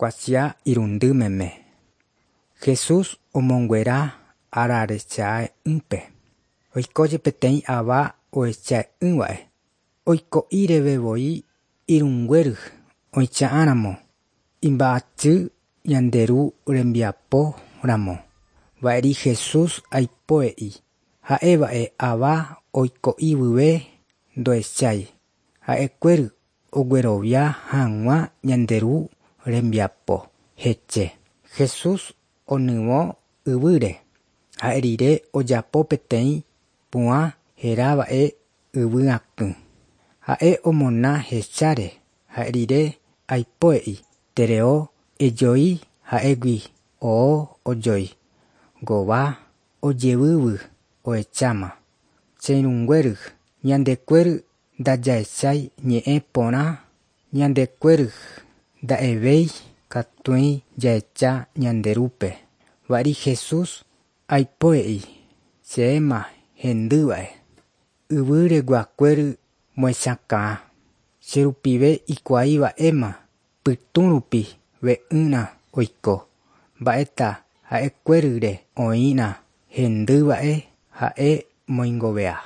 Kuatia irundy meme. Jesús omonguera ararechae'ỹpe. Oikóje peteĩ ava ohechae'ỹva'e. Oiko'írevevoi irũnguéry oicha'ãramo imba'asy ñande Ru rembiapo ramo. Va'eri Jesús aipoe'i ha'éva'e ava oiko'ívyve ndohechái. Ha'ekuéry oguerovia hag̃ua ñande Ru rembiapo heche. Jesús onyvõ yvýre. Ha'e rire ojapo peteĩ pu'ã herava'e yvyakỹ. Ha'e omona hecháre. Ha'e rire aipoe'i tereo ejoi ha'égui oo ojoi. Gova ojevývy ohecháma. Che irũnguéry ñandekuéry ndajahechái ñe'ẽ porã ñandekuéry nda'evéi katuĩ jahecha ñande Rúpe. Va'eri Jesús aipoe'i chéma hendýva'e. Yvýreguakuéry mohechakã. Che rupive ikuaiva'éma pytũ rupi ve'ỹrã oiko. Mba'éta ha'ekuéryle oĩrã hendýva'e ha'e moingovea.